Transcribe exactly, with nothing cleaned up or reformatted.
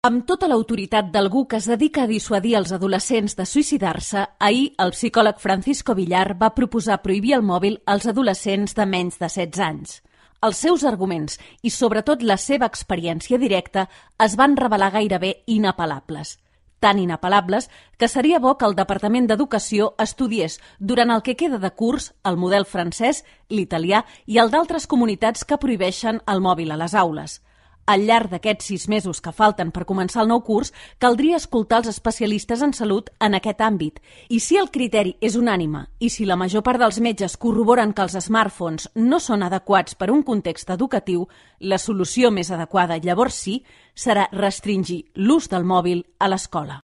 Amb tota l'autoritat d'algú que es dedica a dissuadir els adolescents de suïcidar-se, ahir el psicòleg Francisco Villar va proposar prohibir el mòbil als adolescents de menys de setze anys. Els seus arguments i, sobretot, la seva experiència directa es van revelar gairebé inapel·lables. Tan inapel·lables que seria bo que el Departament d'Educació estudiés durant el que queda de curs el model francès, l'italià i el d'altres comunitats que prohibeixen el mòbil a les aules. Al llarg d'aquests sis mesos que falten per començar el nou curs, caldria escoltar els especialistes en salut en aquest àmbit. I si el criteri és unànime i si la major part dels metges corroboren que els smartphones no són adequats per a un context educatiu, la solució més adequada, llavors sí, serà restringir l'ús del mòbil a l'escola.